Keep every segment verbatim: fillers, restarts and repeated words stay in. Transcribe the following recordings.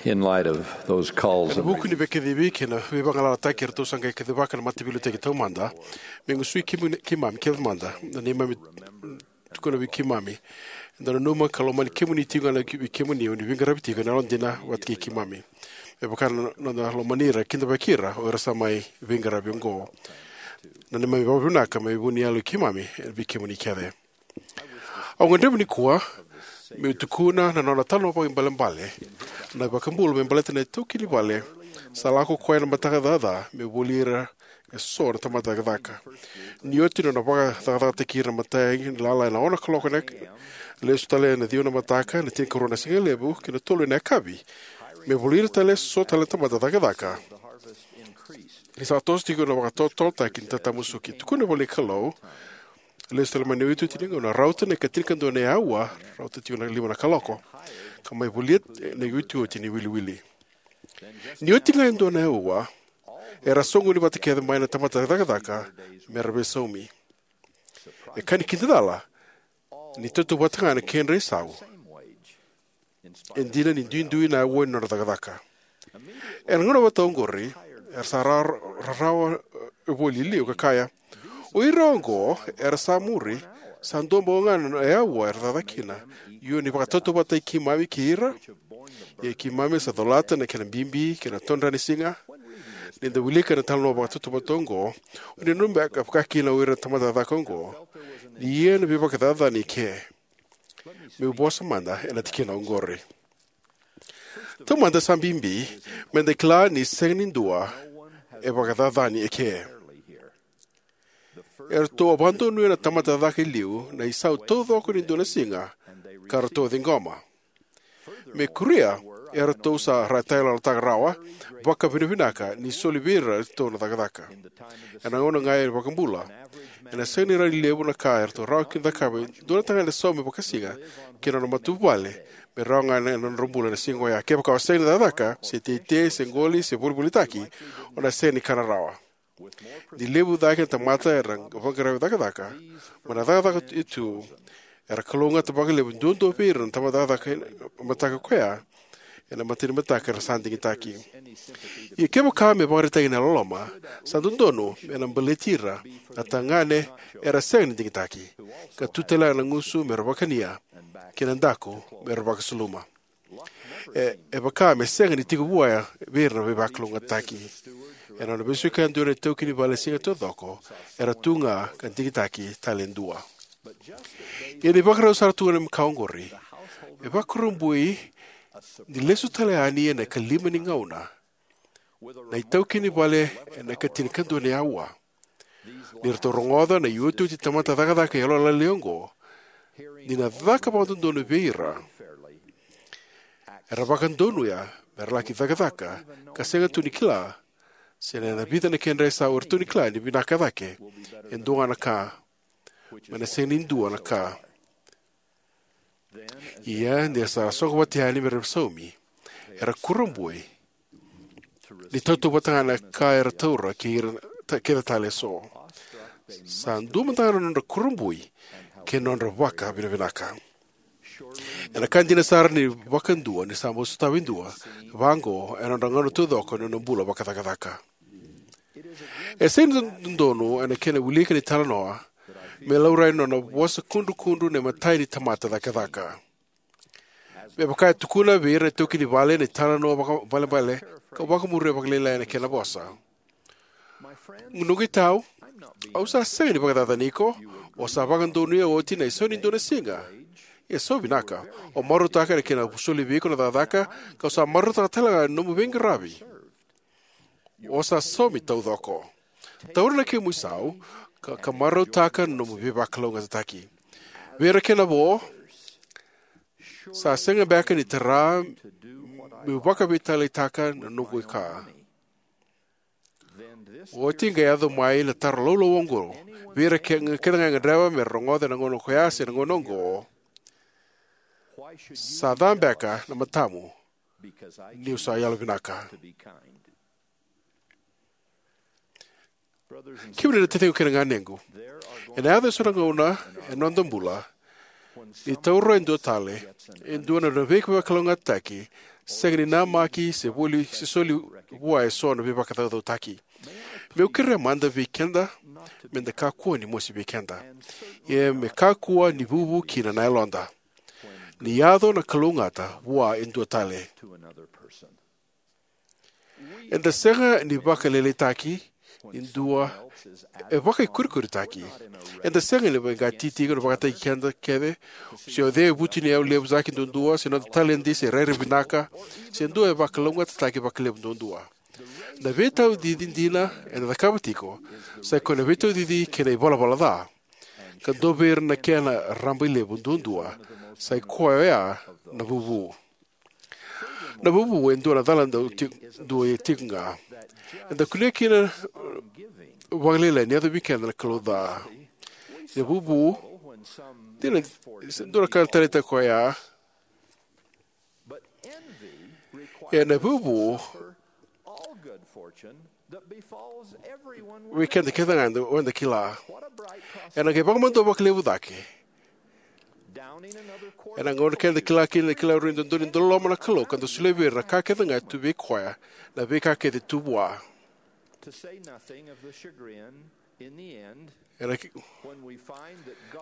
In light of those calls Ena and vuku ni veikacivi kei na veivagalalataki eratou sa qai kacivaka na mataveiliutaki taumada, me gusui keimami, keimami kece mada na neimami tukuna vei keimami. Eda nanuma ka lomani kemuni tiko ga na ki- vei kemuni o ni veiqaravi tiko ena yalodina vata kei keimami. Me vaka na noda lomani ira, kidavaki ira o ira sa mai veiqaravi oqo. Na neimami vakavinaka mai vu ni yalo i keimami e vei kemuni kece. Au gadreva nikua meu tukuna na nona talanoa vakaibalebale na iVakabula me baleta na itaukei ni vale sa lako koya na mataka caca me voli ira e so na tamata cakacaka. Ni oti na nona vakacakacakataki ira na imatai ni lala ena ono na kaloko ena lesu tale ena ciwa na mataka, na tinikarua na sigalevu kei na tolu ena yakavi, me voli ira tale e so tale na tamata cakacaka. Ni sa toso tiko na vakatotolotaki ni tatamusuki, tukuna voli na Kalou, lesu tale mai na iotioti ni gauna, rauta na ikatinikadua na aua, rauta tiko na lima na kaloko, ka mai volia na iotioti ni wiliwili. Ni oti ga e dua na aua, era soqoni vata kece mai na tamata cakacaka me ra veisaumi. E ka ni kidacala, ni tautauvata ga na kedra isau, e dina ni duidui na aua ni nodra cakacaka. Ena gauna vata oqori, era sa ra- rarawa e voli e liu ka kaya, o ira oqo era sa muri, sa dua bau ga na aua era cakacaka kina. Io, ni vakatautauvatataki keimami kei ira, ia keimami sa colata na kena bibi kei na todra ni siga. Ni da wilika na talanoa vakatautauvata oqo, o ni nanuma beka vaka kina o ira na tamata cakacaka oqo ni ia na veivakacacani eke? Meu vosa mada ena tikina oqori. Taumada, sa bibi meda kila ni sega ni dua e vakacacani eke. Eratou a vakadonuya na tamata cakacaka e liu na isau taucoko ni dua na siga ka ratou a ciqoma. Me kuria, eratou sa ra tayaloyalotaka rawa vakavinavinaka ni soli vei iratou na cakacaka. Ena gauna ga e iVakabula, ena sega ni rawa ni levu na ka eratou rawa kina ni cakava e dua na tagane saumi vakasiga kei na nona matavuvale me rawa ga ena nodra bula ena siga oya. Kevaka o sega ni cakacaka, se teitei, se qoli, se volivolitaki, o na sega ni kana rawa. Ni levu cake na tamata era vaqara cakacaka mai na cakacaka e tu, era kalougata vakalevu duadua vei ira na tamata cakacaka ena mataka koya, ena imatai ni mataka era sa digitaki. Ia kevaka me vakaraitaki na loloma, sa dodonu me na baleti ira na tagane era sega ni digitaki, ka tu tale ga na gusu me ra vakania kei na daku me ra vakasuluma. E, e vaka me sega ni tiko vua vei ira na veivakalougatataki. Ena nona veisiko yadua na itaukei ni vale e siga taucoko, era tu ga ka digitaki tale e dua. Ia ni vakarau sara tu ga na ka oqori, e vakurabui ni lesu tale yani ena ikalima ni gauna na itaukei ni vale ena ikatinikadua ni aua. Ni ratou rogoca na iotioti tamata cakacaka yalolailai oqo, ni na caka vakadodonu vei ira, era vakadonuya me ra laki cakacaka ka sega tu ni kila se na vica na kedra isau eratou ni kila ni vinaka cake e dua ga na ka, mai na sega ni dua na ka. Ia ni ra sa soqo vata yani me ra saumi, era kurabui ni tautauvata ga na ka era taura kei ira ta- kece tale eso. Sa dua mada ga na nodra kurabui kei na nodra vakavinavinaka. Ena ka dina sara ni vakadua ni sa bau sotava e dua vaqo ena nodra gauna taucoko ni nona bula vakacakacaka. E sega ni dodonu ena kena wilika ni talanoa me laurai na nona vosa kudrukudru na imatai ni tamata cakacaka. Me vaka e tukuna vei ira na itaukei ni vale na italanoa vakaibalebale, ka vakamuria vakalailai na kena vosa. Noqu itau, au sa sega ni vakacacani iko. O sa vakadonuya oti na isau ni dua na siga. Ia, sa vinaka, o marautaka na kena soli vei iko na cakacaka, kau sa marautaka tale ga na nomu veiqaravi. O sa saumi taucoko. Taura na kemu isau ka, ka marautaka na nomu veivakalougatataki. Vei ira kena vo, sa sega beka ni tara meu vakaveitaliataka na noqu ka. Oti qai yaco mai na taro laulau oqo vei ira ke- kece ga e gadreva me ra rogoca ena gauna koya se na gauna oqo: Sa ca beka na matamu niu sa yalovinaka? Kemuni na taciqu kei na ganequ, ena yaco eso na gauna ena noda bula Ni taura e dua tale e dua na veivakalougatataki, sega ni namaki se voli se soli vua eso na veivakacaucautaki. Meu kerea mada vei keda me da kakua ni mosi vei keda, ia me kakua ni vuvu kina na yaloda ni yaco na kalougata vua e dua tale. Eda sega ni vakalailaitaki ni dua e vakaikurikuritaki. Eda sega ni veiqati tiko na vakataki keda kece, se o cei e vutuniyau levu cake duadua, se noda taledi, se rairai vinaka, se dua e vakalougatataki vakalevu duadua. Na veitaucici dina eda cakava tiko sai koya na veitaucici kei na ivalavala ca, ka dua vei ira na kena rabailevu duadua sai koya na vuvu. Na vuvu e dua na cala dau ti-, dua e tiko ga. Eda kunea kina vakalailai ni yaco vei keda na kalou ca. Na vuvu, dina, se dua na ka na taleitaka koya. Ia na vuvu vei keda kece ga eda, eda kila. Ena qai vakamadua vakalevu cake. Ena gauna keda kila kina, kila rui dodonu ni dau loloma na Kalou ka dau solia vei ira na ka kece ga e tu vei koya, na veika kece tu vua. Ena ki-,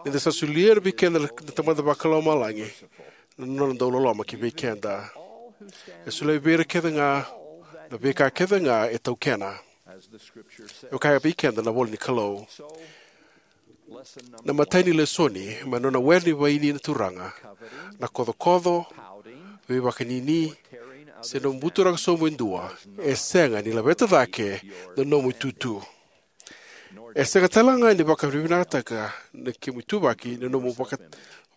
ni da sa solia vei keda na Tamada Vakalomalagi na nona dau loloma ki vei keda. E solia vei ira kece ga na veika kece ga e taukena. E kaya vei keda na ivola ni Kalou. Na imatai ni lesoni mai na nona were ni vaini na Turaga: na kocokoco, veivakanini, se nomu buturaka sobu e dua, e sega ni laveta cake na nomu itutu. E sega tale ga ni vakavinavinakataka na kemu ituvaki na nomu vaka,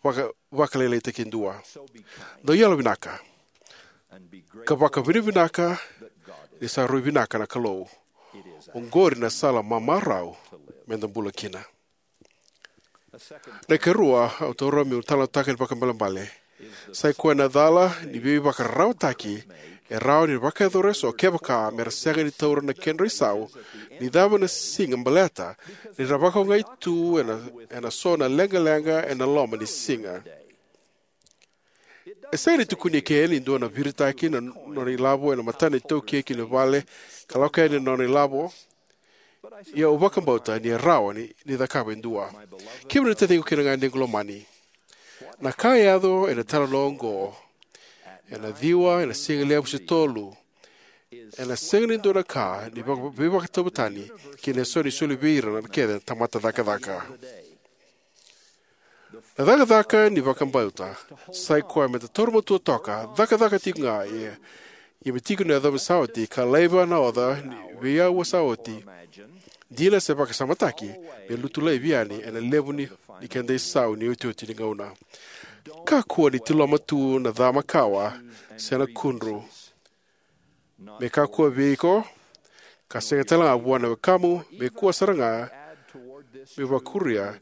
vaka, vakalailaitaki e dua. Dau yalovinaka ka vakavinavinaka ni sa rui vinaka na Kalou. Oqori na sala mamarau me da bula kina. Na ikarua au taura meu talanoataka ni vakaibalebale sai koya na cala ni veivakararawataki e rawa ni vakayacora eso kevaka me ra sega ni taura na kedra isau ni cava na siga, baleta ni ra vakaogai tu ena, ena so na leqaleqa ena loma ni siga. E sega ni tukuni eke ni dua na viritaki na nona ilavo ena matana iTaukei ki na vale ka lako yani na nona ilavo. Ia au vakabauta ni rawa ni, ni cakava e dua. Kemuni na taciqu kei na ganequ lomani, na ka e yaco ena italanoa oqo, ena ciwa, ena sigalevu se tolu, ena sega ni dua na ka ni vaka, veivakatauvatani kei na so ni soli vei ira na kece na tamata cakacaka. Na cakacaka ni vakabauta sai koya me da taura matua toka, cakacaka tiko ga, ia, ia me tiko na yacova sa oti, ka laiva na oca ni veiyaua sa oti. Dina se vakasamataki me lutu laivi yani ena levu ni, ni keda isau ni otioti ni gauna. Kakua ni tiloma tu na ca makawa se na kudru. Me kakua vei iko, ka sega tale ga vua na wekamu, me kua sara ga me vakuria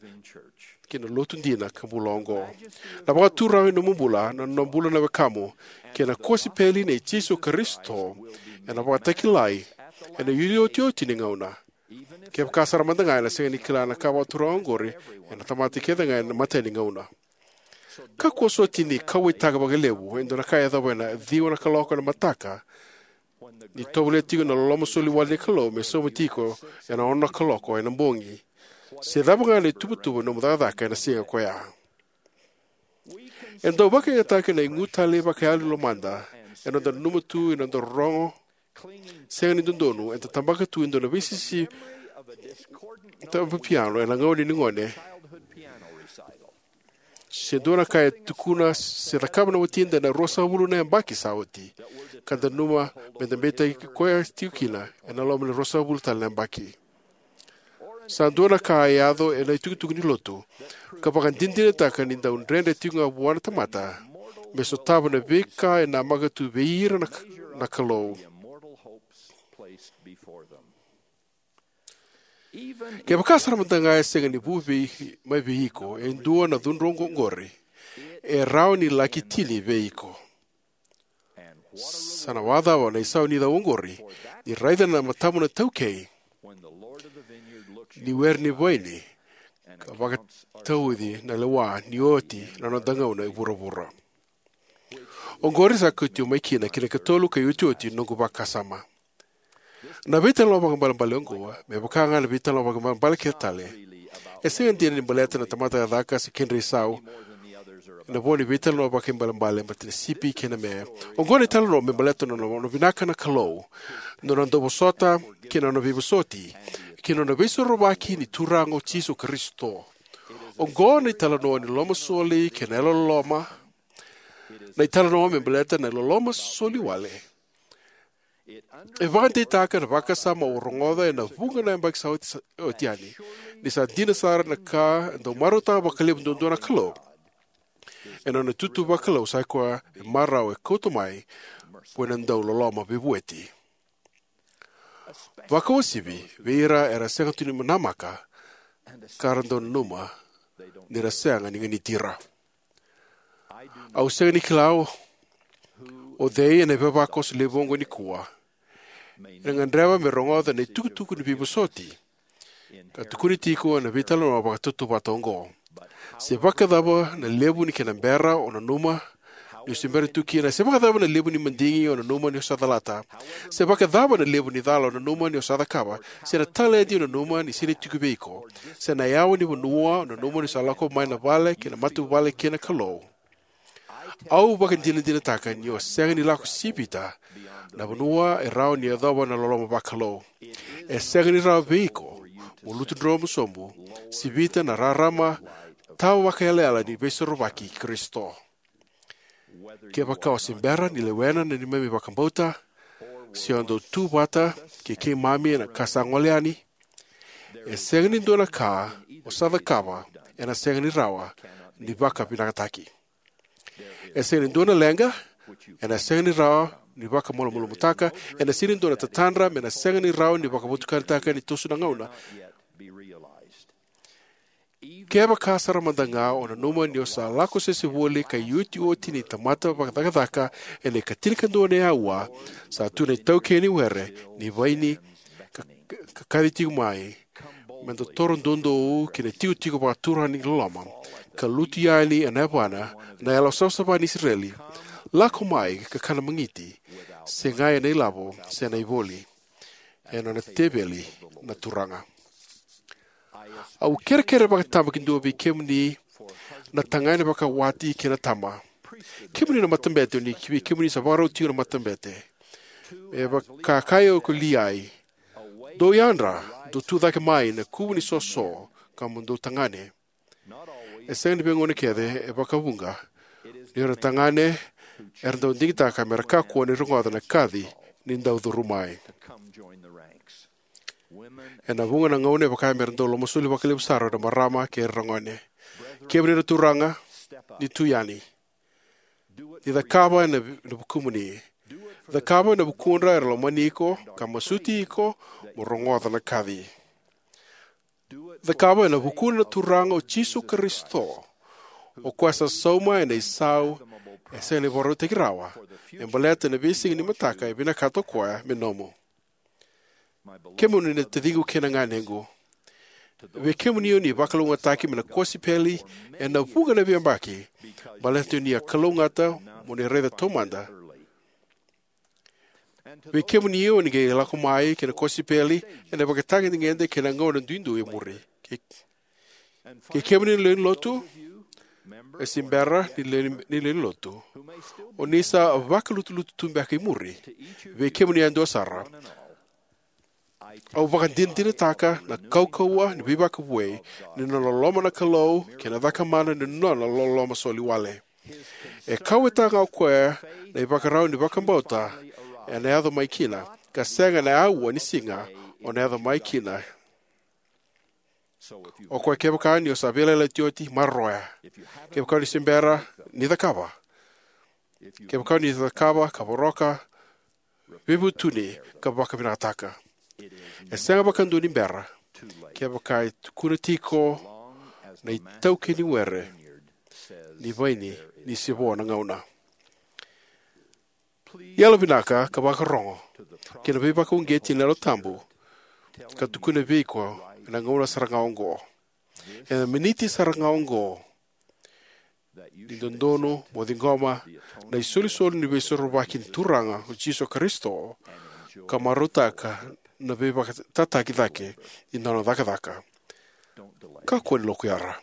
ki na lotu dina ka bula oqo. Na vakaturaga ni nomu bula, na nona bula na wekamu, kei na kosipeli nei Jisu Karisito, ena vakatakilai ena iotioti ni gauna. Kevaka sara mada ga ena sega ni kila na ka vakaturaga oqori, ena tamata kece ga ena imatai ni gauna. Kakua soti ni kauwaitaka vakalevu e dua na ka e yacova ena ciwa na kaloko ena mataka, ni tovolea tiko na loloma soli wale ni Kalou me sauma tiko ena ono na kaloko ena bogi, se cava ga na ituvatuva ni nomu cakacaka ena siga koya. E dau vakayagataki na igu talei vakayalo ni lomada ena noda nanuma tu ena noda rorogo sega ni dodonu, eda tabaka tu e dua na veisisi taba piano ena gauna ni gone, se dua na ka e tukuna se cakava na watida ena ruasagavulu na yabaki sa oti, ka da nanuma me da beitaki koya tiko kina ena loma ni ruasagavulu tale na yabaki. Sa dua na ka e yaco ena itukutuku ni lotu ka vakadinadinataka ni dau dredre tiko ga vua na tamata me sotava na veika e namaka tu vei ira na, na Kalou. Kevaka sara mada ga e sega ni vu vei, mai vei iko e dua na cudru oqori, e rawa ni laki tini vei iko. Sa na vakacava na isau ni cau oqori ni raica na matamu na taukei ni were ni vaini ka vakatauci na lewa ni oti na noda gauna e vuravura. Oqori sa kauti au mai kina ki na ikatolu ka iotioti ni noqu vakasama. Na veitalanoa vakaibalebale oqo, me vaka ga na veitalanoa vakaibalebale kece tale, e sega dina ni baleta na tamata cakacaka se kedra isau, ena vo ni veitalanoa vakaibalebale baleta na sipi kei na me. Oqo na italanoa me baleta na nona vinaka na Kalou, na nona dauvosota kei na nona veivosoti, kei na nona veisorovaki ni Turaga o Jisu Karisito. Oqo na italanoa ni lomasoli kei na yalololoma, na italanoa me baleta na loloma soli wale. E vakadeitaka na vakasama au rogoca ena vuqa na yabaki sa oti, sa oti yani, ni sa dina sara na ka e dau marautaka vakalevu duadua na Kalou. Ena nona itutu vakalou sa i koya e marau e kauta mai, vua na dau loloma veivueti. Vakauasivi vei ira era sega tu ni namaka, ka ra dau nanuma ni ra sega ni ganiti ira. Au sega ni kila o cei ena ivavakoso levu oqo nikua ena gadreva me rogoca na itukutuku ni veivosoti ka tukuni tiko ena veitalanoa vakatautauvata oqo. Se vakacava na levu ni kena bera o nanuma ni o se bera tu kina, se vakacava na levu ni madigi o nanuma ni o sa calata, se vakacava na levu ni cala o nanuma ni o sa cakava, se na taledi o nanuma ni sega ni tiko vei iko, se na yawa ni vanua o nanuma ni o sa lako mai na vale kei na matavuvale kei na Kalou. Au vakadinadinataka ni o sega ni lako sivita na vanua e rawa ni yacova na loloma vakalou. E sega ni rawa vei iko mo lutu dromu sobu, sivita na rarama tawa vakayalayala ni veisorovaki i Karisito. Kevaka o se bera ni lewena na neimami vakabauta, se o dau tu vata kei keimami ena ka sa gole yani, e sega ni dua na ka o sa cakava ena sega ni rawa ni vakavinakataki. E sega ni dua na leqa ena sega ni rawa ni vakamalumalumutaka, ena sega ni dua na tatadra me na sega ni rawa ni vakavotukanataka ni toso na gauna. Kevaka sara mada ga o nanuma ni o sa lako sese voli ka iotioti ni tamata vakacakacaka ena ikatinikadua ni aua, sa tu na itaukei ni were ni vaini ka, ka, ka kaci tiko mai, me da toro doudou ki na itikotiko vakaturaga ni loloma, ka lutu yani ena yavana na yalo savasava ni Isireli, lako mai ka kana magiti, sega ena ilavo se na ivoli, ena nona teveli na Turaga. Au kerekere vakatabakidua vei kemuni na tagane vakawati kei na tama, kemuni na matabete, ni vei kemuni sa vakarau tiko na matabete. Me vaka kaya ko Liai, dou yadra, dou tu cake mai na kuvu ni soso, ka mo dou tagane. E sega ni veigauna kece, e vakavuqa ni ira na tagane era dau digitaka me ra kakua ni rogoca na kaci ni dau curu mai. Ena vuqa na gauna e vaka me ra dau lomasoli vakalevu sara na marama kei ira na gone. Kemuni na turaga, ni tu yani. Ni cakava ena vi-, na vukumuni. Cakava ena vukudra era lomani iko ka masuti iko mo rogoca na kaci. Cakava ena vukuna na Turaga o Jisu Karisito, o koya sa sauma ena isau e sega ni vakarautaki rawa, me baleta na veisiga ni mataka e vinakata o koya me nomu. Kemuni na taciqu kei na ganequ, vei kemuni o ni vakalougatataki mai na kosipeli ena vuqa na veiyabaki, baleta ni a kalougata mo ni raica taumada. Vei kemuni o ni qai lako mai ki na kosipeli ena ivakatagedegede kei na gauna duidui e muri. Kei, kei kemuni na lewe ni lotu, e se bera ni lewe ni, ni lewe ni lotu, o ni sa vakalutulutu tu beka i muri. Vei kemuni yadua sara, au vakadinadinataka na kaukauwa ni veivakavoui ni nona loloma na Kalou kei na cakamana ni nona loloma soli wale. E kauwaitaka ga o koya na ivakarau ni vakabauta ena yaco mai kina, ka sega ena aua ni siga o na yaco mai kina. O koya, kevaka ni o sa veiyalayalati oti, maroroya. Kevaka ni se bera, ni cakava. Kevaka ni cakava ka voroka, veivutuni ka vakavinakataka. E sega vakadua ni bera, kevaka e tukuna tiko na itaukei ni were ni vaini ni se vo na gauna. Yalovinaka ka vakarorogo ki na veivakauqeti ni Yalo Tabu ka tukuna vei iko ena gauna sara ga oqo. Ena miniti sara ga oqo, ni dodonu mo ciqoma na isolisoli ni Veisorovaki ni Turaga o Jisu Karisito ka marautaka na veivakatataki cake ni nona cakacaka. Kakua ni lokuyara.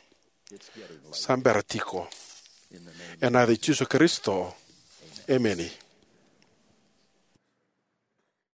Sa bera tiko. Ena yaca i Jisu Karisito, emeni.